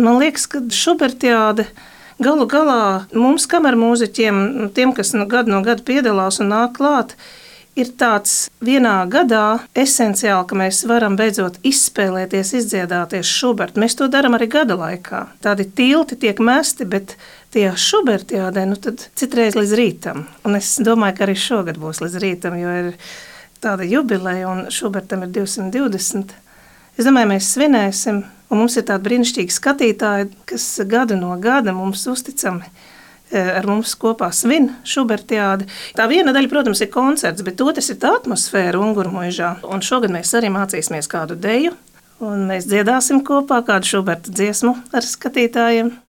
Man liekas, ka Šubertiāde galu galā mums, kamermūziķiem, tiem, kas gadu no gada piedalās un nāk klāt, ir tāds vienā gadā esenciāli, ka mēs varam beidzot izspēlēties, izdziedāties Šubertu. Mēs to darām arī gada laikā. Tādi tilti tiek mesti, bet tajā Šubertiādē, tad citreiz līdz rītam. Un es domāju, ka arī šogad būs līdz rītam, jo ir tāda jubileja un Šubertam ir 220. Es domāju, mēs svinēsim, un mums ir tādi brīnišķīgi skatītāji, kas gadu no gada mums uzticami ar mums kopā svin Šubertiādi. Tā viena daļa, protams, ir koncerts, bet otrs ir tā atmosfēra Ungurmuižā. Un šogad mēs arī mācīsimies kādu deju, un mēs dziedāsim kopā kādu Šuberta dziesmu ar skatītājiem.